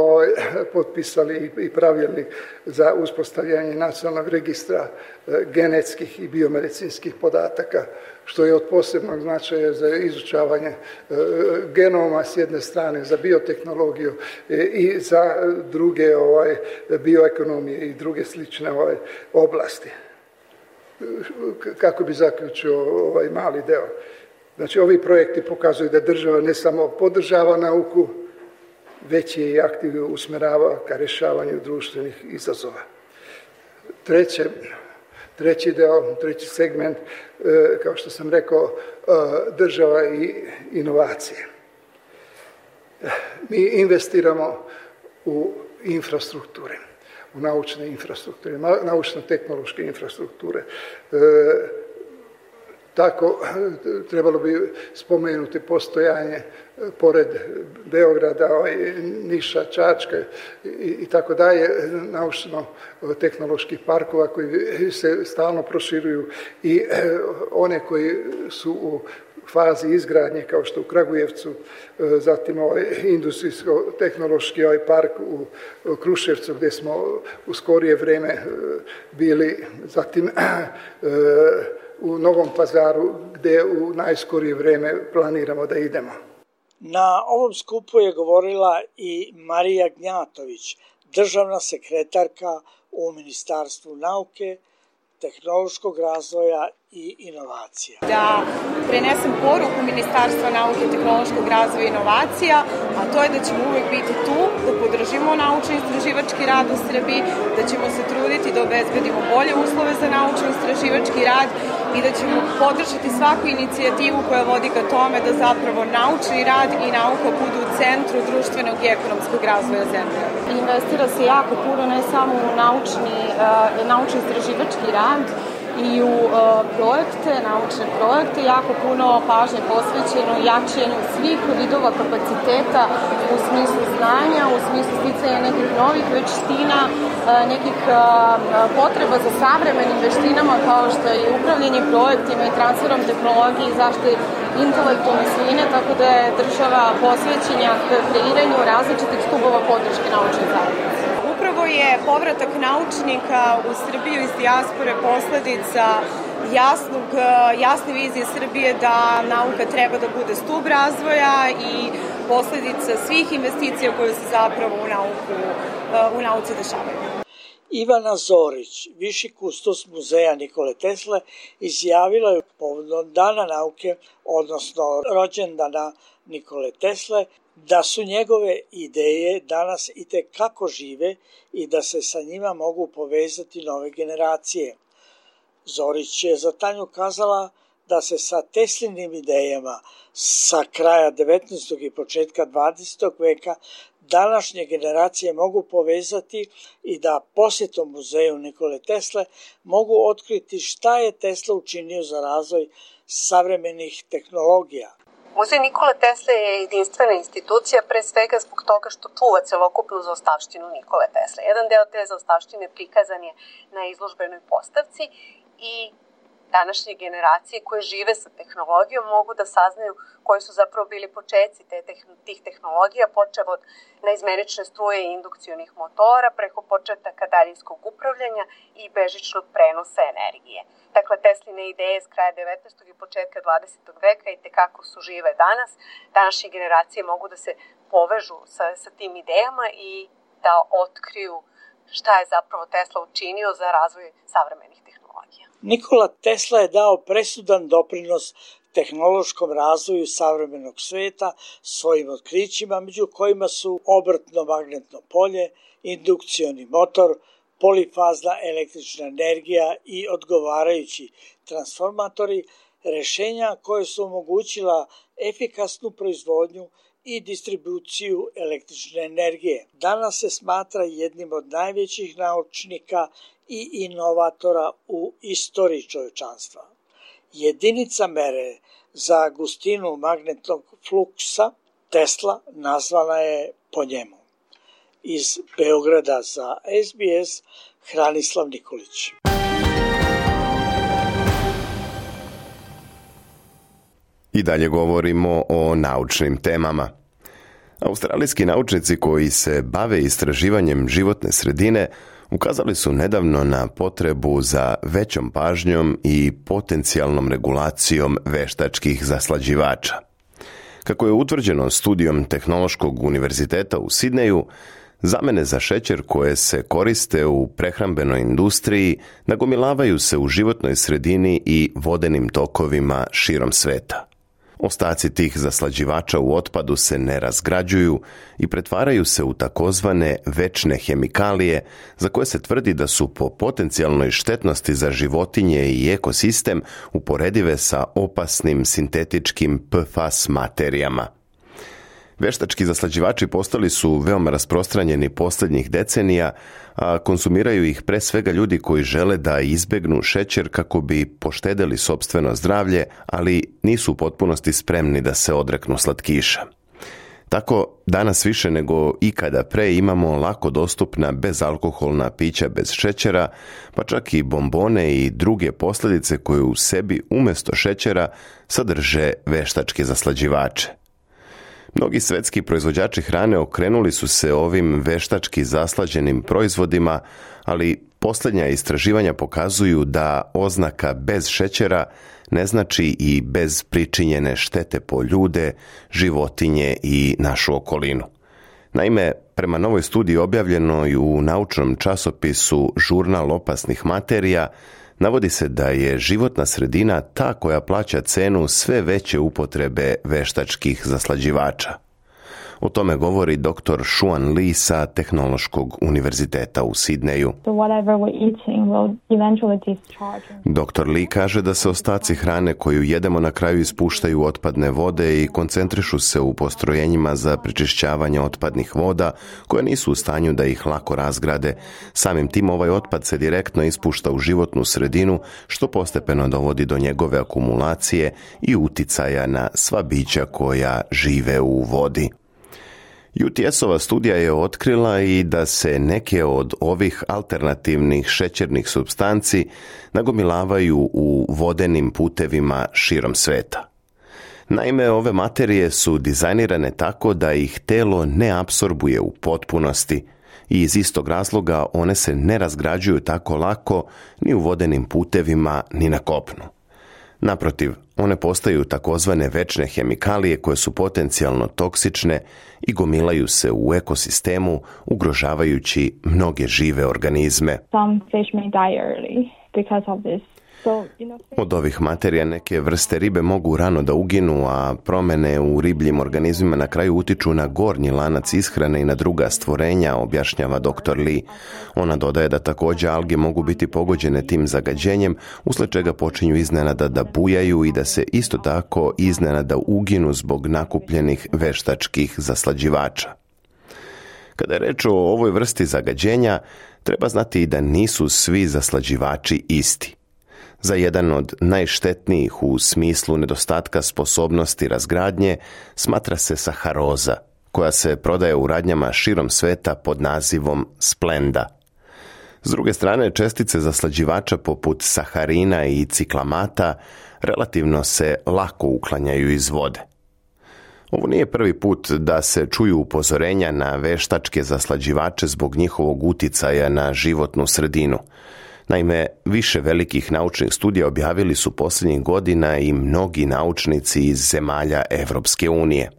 potpisali i pravilnik za uspostavljanje nacionalnog registra genetskih i biomedicinskih podataka, što je od posebnog značaja za izučavanje genoma s jedne strane, za biotehnologiju i za druge bioekonomije i druge slične oblasti. Kako bi zaključio ovaj mali deo? Znači, ovi projekti pokazuju da država ne samo podržava nauku, već je i aktivno usmerava ka rješavanju društvenih izazova. Treći deo, treći segment, kao što sam rekao, država i inovacije. Mi investiramo u infrastrukture, u naučne infrastrukture, naučno-tehnološke infrastrukture. Tako trebalo bi spomenuti postojanje pored Beograda, Niša, Čačka i tako dalje, naučno-tehnoloških parkova koji se stalno proširuju i one koji su u fazi izgradnje, kao što u Kragujevcu, zatim industrijsko-tehnološki park u Kruševcu, gdje smo u skorije vrijeme bili, zatim u Novom Pazaru, gdje u najskorije vrijeme planiramo da idemo. Na ovom skupu je govorila i Marija Gnjatović, državna sekretarka u Ministarstvu nauke, tehnološkog razvoja i inovacija. Da prenesem poruku Ministarstva nauke, tehnološkog razvoja i inovacija, a to je da ćemo uvek biti tu, da podržimo naučno-istraživački rad u Srbiji, da ćemo se truditi da obezbedimo bolje uslove za naučno-istraživački rad i da ćemo podržati svaku inicijativu koja vodi ka tome da zapravo naučni rad i nauka budu u centru društvenog i ekonomskog razvoja zemlje. Investira se jako puno ne samo u naučno-istraživački rad i u naučne projekte, jako puno pažnje posvećeno jačanju svih vidova kapaciteta u smislu znanja, u smislu sticanja nekih novih veština, nekih potreba za savremenim veštinama kao što je upravljanje projektima i transferom tehnologije i zaštite intelektualne svojine, tako da je država posvećena kreiranju različitih stubova podrške naučne zajednice. Upravo je povratak naučnika u Srbiju iz dijaspore posledica jasne vizije Srbije da nauka treba da bude stub razvoja i posledica svih investicija koje se zapravo u nauci dešavaju. Ivana Zorić, viši kustos muzeja Nikole Tesle, izjavila je povodom Dana nauke, odnosno rođendana Nikole Tesle, da su njegove ideje danas itekako žive i da se sa njima mogu povezati nove generacije. Zorić je za Tanju kazala da se sa Teslinim idejama sa kraja 19. i početka 20. veka današnje generacije mogu povezati i da posjetom muzeju Nikole Tesle mogu otkriti šta je Tesla učinio za razvoj savremenih tehnologija. Muzej Nikole Tesle je jedinstvena institucija pre svega zbog toga što čuva celokupnu zaostavštinu Nikole Tesle. Jedan deo te zaostavštine prikazan je na izložbenoj postavci i današnje generacije koje žive sa tehnologijom mogu da saznaju koji su zapravo bili početci tih tehnologija, počev od naizmenične struje i indukcionih motora, preko početaka daljinskog upravljanja i bežičnog prenosa energije. Dakle, Tesline ideje s kraja 19. i početka 20. veka i tekako su žive danas. Današnje generacije mogu da se povežu sa tim idejama i da otkriju šta je zapravo Tesla učinio za razvoj savremenih tehnologija. Nikola Tesla je dao presudan doprinos tehnološkom razvoju savremenog sveta svojim otkrićima, među kojima su obrtno magnetno polje, indukcioni motor, polifazna električna energija i odgovarajući transformatori, rješenja koje su omogućila efikasnu proizvodnju i distribuciju električne energije. Danas se smatra jednim od najvećih naučnika i inovatora u istoriji čovječanstva. Jedinica mere za gustinu magnetnog fluksa Tesla nazvana je po njemu. Iz Beograda za SBS, Hranislav Nikolić. I dalje govorimo o naučnim temama. Australijski naučnici koji se bave istraživanjem životne sredine ukazali su nedavno na potrebu za većom pažnjom i potencijalnom regulacijom veštačkih zaslađivača. Kako je utvrđeno studijom Tehnološkog univerziteta u Sidneju, zamene za šećer koje se koriste u prehrambenoj industriji nagomilavaju se u životnoj sredini i vodenim tokovima širom sveta. Ostaci tih zaslađivača u otpadu se ne razgrađuju i pretvaraju se u takozvane večne hemikalije za koje se tvrdi da su po potencijalnoj štetnosti za životinje i ekosistem uporedive sa opasnim sintetičkim PFAS materijama. Veštački zaslađivači postali su veoma rasprostranjeni posljednjih decenija, a konzumiraju ih pre svega ljudi koji žele da izbegnu šećer kako bi poštedeli sopstveno zdravlje, ali nisu u potpunosti spremni da se odreknu slatkiša. Tako, danas više nego ikada pre imamo lako dostupna bezalkoholna pića bez šećera, pa čak i bombone i druge posljedice koje u sebi umjesto šećera sadrže veštačke zaslađivače. Mnogi svetski proizvođači hrane okrenuli su se ovim veštački zaslađenim proizvodima, ali posljednja istraživanja pokazuju da oznaka bez šećera ne znači i bez pričinjene štete po ljude, životinje i našu okolinu. Naime, prema novoj studiji objavljenoj u naučnom časopisu Žurnal opasnih materija, navodi se da je životna sredina ta koja plaća cenu sve veće upotrebe veštačkih zaslađivača. O tome govori dr. Xuan Li sa Tehnološkog univerziteta u Sidneju. Dr. Li kaže da se ostaci hrane koju jedemo na kraju ispuštaju otpadne vode i koncentrišu se u postrojenjima za prečišćavanje otpadnih voda koje nisu u stanju da ih lako razgrade. Samim tim ovaj otpad se direktno ispušta u životnu sredinu, što postepeno dovodi do njegove akumulacije i uticaja na sva bića koja žive u vodi. UTS-ova studija je otkrila i da se neke od ovih alternativnih šećernih supstanci nagomilavaju u vodenim putevima širom sveta. Naime, ove materije su dizajnirane tako da ih telo ne apsorbuje u potpunosti i iz istog razloga one se ne razgrađuju tako lako ni u vodenim putevima ni na kopnu. Naprotiv, one postaju takozvane večne hemikalije koje su potencijalno toksične i gomilaju se u ekosistemu, ugrožavajući mnoge žive organizme. Od ovih materija neke vrste ribe mogu rano da uginu, a promjene u ribljim organizmima na kraju utiču na gornji lanac ishrane i na druga stvorenja, objašnjava dr. Li. Ona dodaje da također alge mogu biti pogođene tim zagađenjem, usled čega počinju iznenada da bujaju i da se isto tako iznenada uginu zbog nakupljenih veštačkih zaslađivača. Kada je reč o ovoj vrsti zagađenja, treba znati i da nisu svi zaslađivači isti. Za jedan od najštetnijih u smislu nedostatka sposobnosti razgradnje smatra se saharoza, koja se prodaje u radnjama širom sveta pod nazivom Splenda. S druge strane, čestice zaslađivača poput saharina i ciklamata relativno se lako uklanjaju iz vode. Ovo nije prvi put da se čuju upozorenja na veštačke zaslađivače zbog njihovog uticaja na životnu sredinu. Naime, više velikih naučnih studija objavili su posljednjih godina i mnogi naučnici iz zemalja Evropske unije.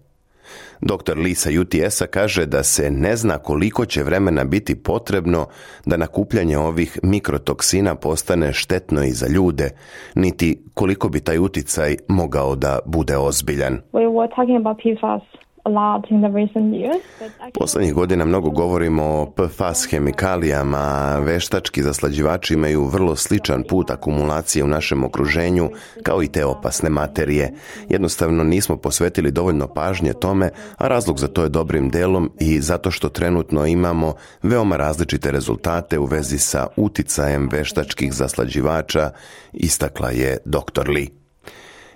Dr. Li sa UTS-a kaže da se ne zna koliko će vremena biti potrebno da nakupljanje ovih mikrotoksina postane štetno i za ljude, niti koliko bi taj uticaj mogao da bude ozbiljan. Poslednjih godina mnogo govorimo o PFAS hemikalijama. Veštački zaslađivači imaju vrlo sličan put akumulacije u našem okruženju kao i te opasne materije. Jednostavno nismo posvetili dovoljno pažnje tome, a razlog za to je dobrim delom i zato što trenutno imamo veoma različite rezultate u vezi sa uticajem veštačkih zaslađivača, istakla je dr. Lee.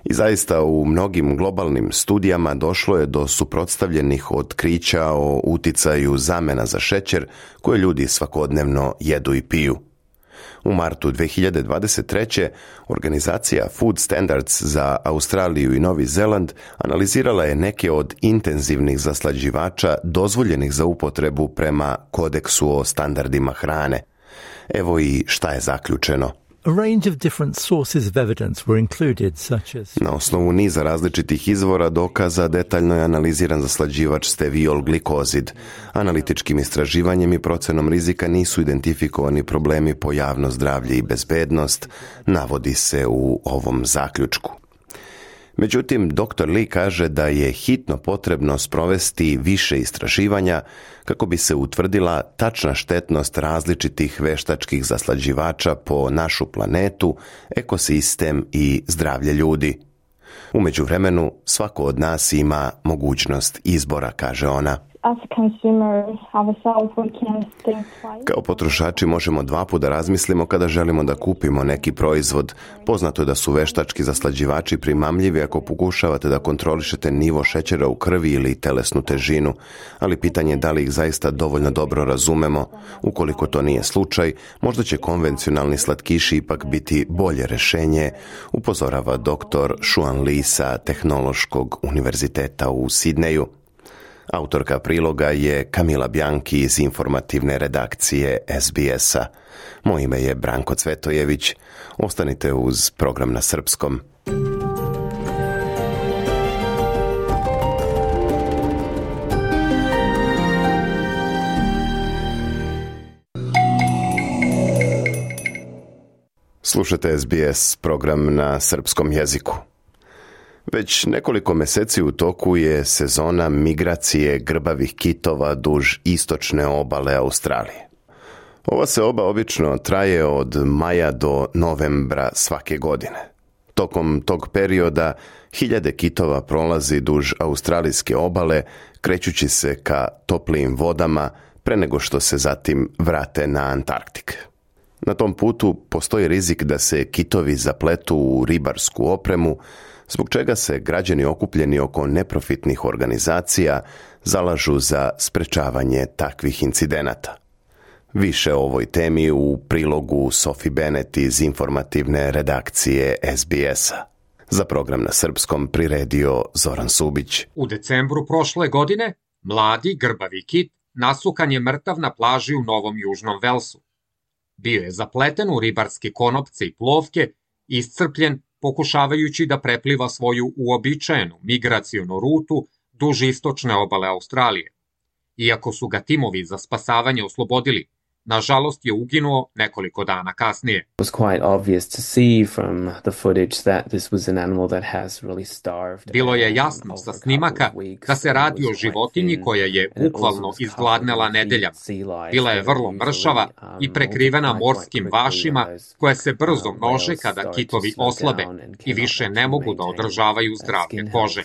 I zaista u mnogim globalnim studijama došlo je do suprotstavljenih otkrića o uticaju zamena za šećer koje ljudi svakodnevno jedu i piju. U martu 2023. organizacija Food Standards za Australiju i Novi Zeland analizirala je neke od intenzivnih zaslađivača dozvoljenih za upotrebu prema kodeksu o standardima hrane. Evo i šta je zaključeno. Na osnovu niza različitih izvora dokaza detaljno je analiziran zaslađivač steviol glikozid. Analitičkim istraživanjem i procenom rizika nisu identifikovani problemi po javno zdravlje i bezbednost, navodi se u ovom zaključku. Međutim, dr. Lee kaže da je hitno potrebno sprovesti više istraživanja kako bi se utvrdila tačna štetnost različitih veštačkih zaslađivača po našu planetu, ekosistem i zdravlje ljudi. U međuvremenu, svako od nas ima mogućnost izbora, kaže ona. Kao potrošači možemo dva puta razmislimo kada želimo da kupimo neki proizvod. Poznato je da su veštački zaslađivači primamljivi ako pokušavate da kontrolišete nivo šećera u krvi ili telesnu težinu, ali pitanje je da li ih zaista dovoljno dobro razumemo. Ukoliko to nije slučaj, možda će konvencionalni slatkiši ipak biti bolje rešenje, upozorava dr. Xuan Li sa Tehnološkog univerziteta u Sidneju. Autorka priloga je Kamila Bjanki iz informativne redakcije SBS-a. Moje ime je Branko Cvetojević. Ostanite uz program na srpskom. Slušate SBS program na srpskom jeziku. Već nekoliko meseci u toku je sezona migracije grbavih kitova duž istočne obale Australije. Ova seoba obično traje od maja do novembra svake godine. Tokom tog perioda hiljade kitova prolazi duž australijske obale, krećući se ka toplijim vodama pre nego što se zatim vrate na Antarktik. Na tom putu postoji rizik da se kitovi zapletu u ribarsku opremu, zbog čega se građani okupljeni oko neprofitnih organizacija zalažu za sprečavanje takvih incidenata. Više o ovoj temi u prilogu Sophie Bennett iz informativne redakcije SBS-a. Za program na srpskom priredio Zoran Subić. U decembru prošle godine mladi grbavi kit nasukan je mrtav na plaži u Novom Južnom Velsu. Bio je zapleten u ribarske konopce i plovke, iscrpljen pokušavajući da prepliva svoju uobičajenu migracionu rutu duž istočne obale Australije. Iako su ga timovi za spasavanje oslobodili, nažalost je uginuo nekoliko dana kasnije. Bilo je jasno sa snimaka da se radi o životinji koja je bukvalno izgladnela nedeljama. Bila je vrlo mršava i prekrivena morskim vašima koje se brzo množe kada kitovi oslabe i više ne mogu da održavaju zdravlje kože.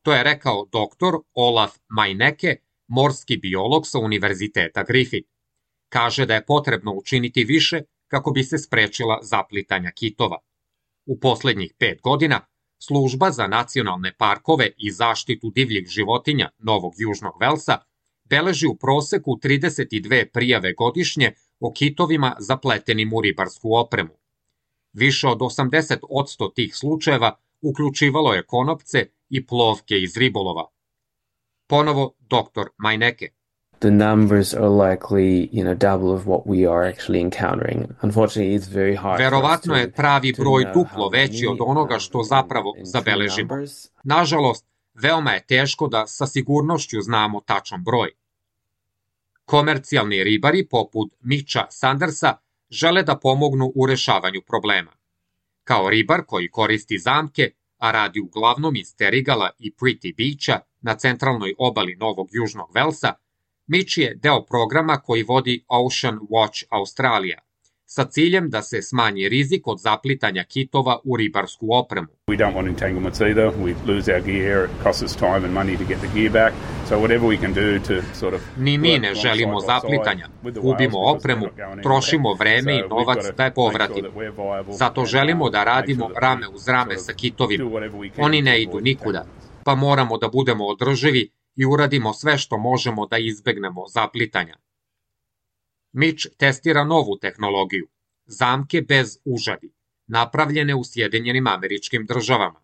To je rekao dr. Olaf Majneke, morski biolog sa Univerziteta Griffith. Kaže da je potrebno učiniti više kako bi se sprečila zaplitanja kitova. U poslednjih 5 godina Služba za nacionalne parkove i zaštitu divljih životinja Novog Južnog Velsa beleži u proseku 32 prijave godišnje o kitovima zapletenim u ribarsku opremu. Više od 80% tih slučajeva uključivalo je konopce i plovke iz ribolova. Ponovo dr. Majneke. The numbers are likely, double of what we are actually encountering. Unfortunately, it's very hard. Verovatno je pravi broj duplo veći od onoga što zapravo zabeležimo. Nažalost, veoma je teško da sa sigurnošću znamo tačan broj. Komercijalni ribari poput Mitcha Sandersa žele da pomognu u rešavanju problema. Kao ribar koji koristi zamke, a radi uglavnom iz Terigala i Pretty Beacha na centralnoj obali Novog Južnog Velsa, Mitch je deo programa koji vodi Ocean Watch Australija, sa ciljem da se smanji rizik od zaplitanja kitova u ribarsku opremu. We don't want entanglements either. We lose our gear, it costs us time and money to get the gear back. So whatever we can do to sort of... Ni mi ne želimo zaplitanja, gubimo opremu, trošimo vreme i novac da je povratimo. Zato želimo da radimo rame uz rame sa kitovima. Oni ne idu nikuda, pa moramo da budemo održivi i uradimo sve što možemo da izbegnemo zaplitanja. Mitch testira novu tehnologiju, zamke bez užadi, napravljene u Sjedinjenim Američkim Državama.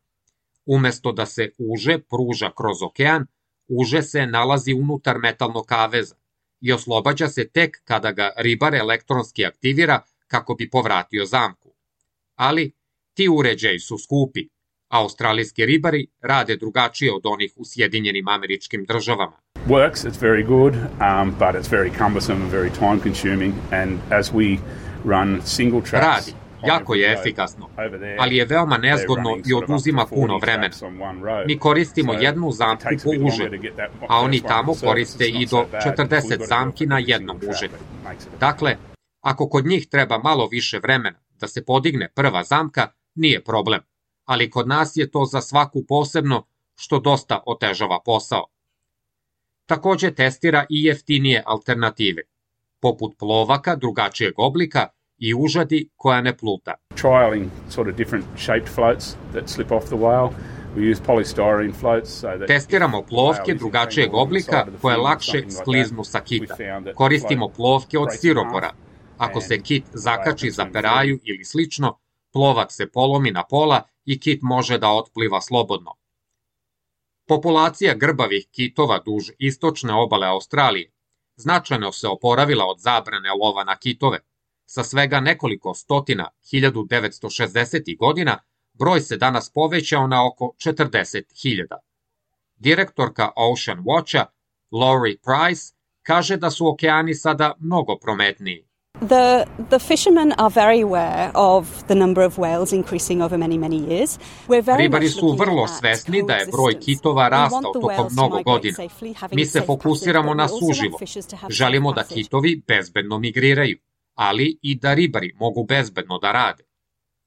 Umesto da se uže pruža kroz okean, uže se nalazi unutar metalnog kaveza i oslobađa se tek kada ga ribar elektronski aktivira kako bi povratio zamku. Ali ti uređaji su skupi, a australijski ribari rade drugačije od onih u Sjedinjenim Američkim Državama. Works, it's very good, but it's very cumbersome and very time consuming, and as we run single tracks... Radi, jako je efikasno, ali je veoma nezgodno i oduzima puno vremena. Mi koristimo jednu zamku po uženju, a oni tamo koriste i do 40 zamki na jednom uženju. Dakle, ako kod njih treba malo više vremena da se podigne prva zamka, nije problem, ali kod nas je to za svaku posebno, što dosta otežava posao. Takođe testira i jeftinije alternative, poput plovaka drugačijeg oblika i užadi koja ne pluta. Trialing sort of different shaped floats that slip off the whale. We use polystyrene floats so that... Testiramo plovke drugačijeg oblika koje lakše skliznu sa kita. Koristimo plovke od stiropora. Ako se kit zakači za peraju ili slično, plovak se polomi na pola i kit može da otpliva slobodno. Populacija grbavih kitova duž istočne obale Australije značajno se oporavila od zabrane lova na kitove. Sa svega nekoliko stotina 1960. godina broj se danas povećao na oko 40.000. Direktorka Ocean Watcha, Laurie Price, kaže da su okeani sada mnogo prometniji. The fishermen are very aware of the number of whales increasing over many years. Ribari su vrlo svesni da je broj kitova rastao tokom mnogo godina. Mi se fokusiramo na suživo. Želimo da kitovi bezbedno migriraju, ali i da ribari mogu bezbedno da rade.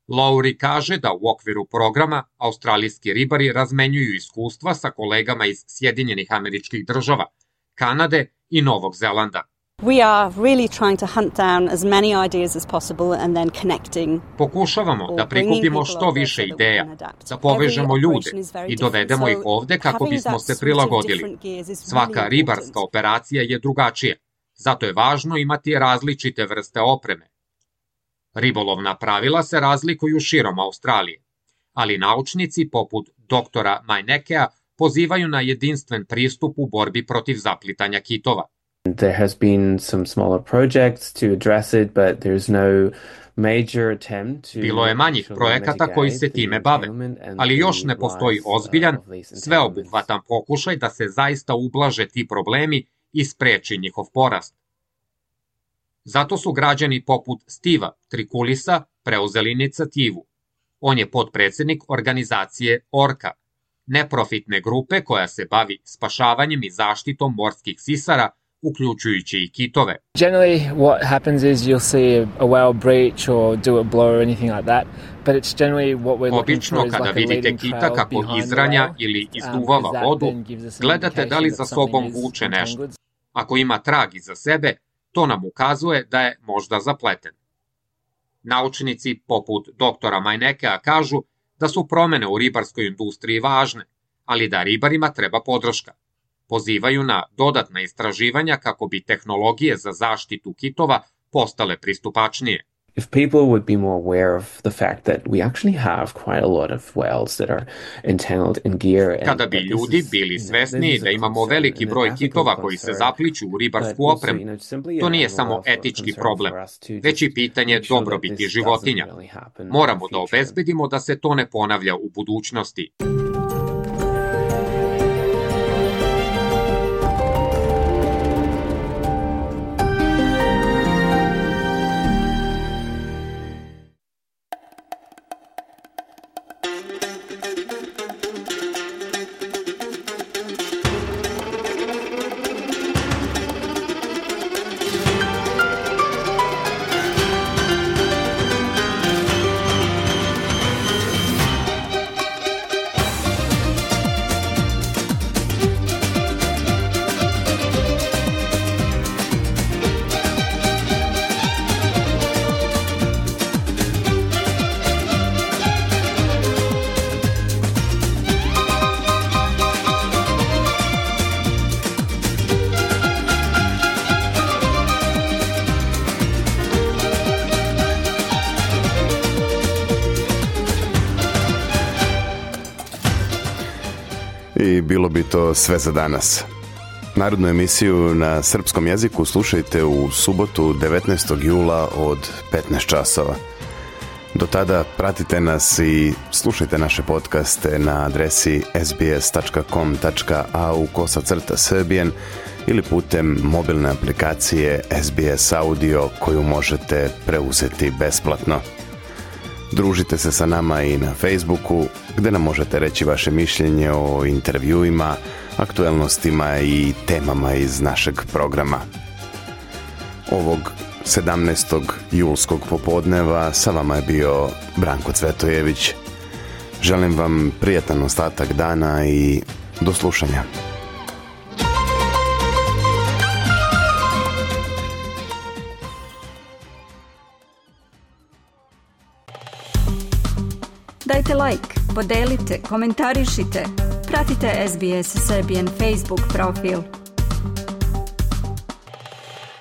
Lowry kaže da u okviru programa australijski ribari razmenjuju iskustva sa kolegama iz Sjedinjenih Američkih Država, Kanade i Novog Zelanda. We are really trying to hunt down as many ideas as possible and then connecting. Pokušavamo da prikupimo što više ideja, da povežemo ljude i dovedemo ih ovde kako bismo se prilagodili. Svaka ribarska operacija je drugačija, zato je važno imati različite vrste opreme. Ribolovna pravila se razlikuju širom Australije, ali naučnici poput doktora Mainekea pozivaju na jedinstven pristup u borbi protiv zaplitanja kitova. There has been some smaller projects to address it, but there's no major attempt to... Bilo je manjih projekata koji se time bave, ali još ne postoji ozbiljan, sveobuhvatan pokušaj da se zaista ublaže ti problemi i spreči njihov porast. Zato su građani poput Steva Trikulisa preuzeli inicijativu. On je potpredsednik organizacije Orca, neprofitne grupe koja se bavi spašavanjem i zaštitom morskih sisara, uključujući i kitove. Generally what happens is you'll see a whale breach or do a blow or anything like that, but it's generally what we're looking for is like a leading trail behind the whale. Obično kada vidite kita kako izranja ili izduvava vodu, gledate da li za sobom vuče nešto. Ako ima trag iza sebe, to nam ukazuje da je možda zapleten. Naučnici poput doktora Mainekea kažu da su promene u ribarskoj industriji važne, ali da ribarima treba podrška. Pozivaju na dodatna istraživanja kako bi tehnologije za zaštitu kitova postale pristupačnije. If people would be more aware of the fact that we actually have quite a lot of whales that are entangled in gear. Kada bi ljudi bili svesni da imamo veliki broj kitova koji se zapliću u ribarsku opremu, to nije samo etički problem, već i pitanje dobrobiti životinja. Moramo da obezbedimo da se to ne ponavlja u budućnosti. I bilo bi to sve za danas. Narodnu emisiju na srpskom jeziku slušajte u subotu 19. jula od 15 časova. Do tada pratite nas i slušajte naše podcaste na adresi sbs.com.au/Serbian ili putem mobilne aplikacije SBS Audio koju možete preuzeti besplatno. Družite se sa nama i na Facebooku, gdje nam možete reći vaše mišljenje o intervjuima, aktuelnostima i temama iz našeg programa. Ovog 17. julskog popodneva sa vama je bio Branko Cvetojević. Želim vam prijatan ostatak dana i do slušanja. Dajte like, podelite, komentarišite, pratite SBS Serbian Facebook profil.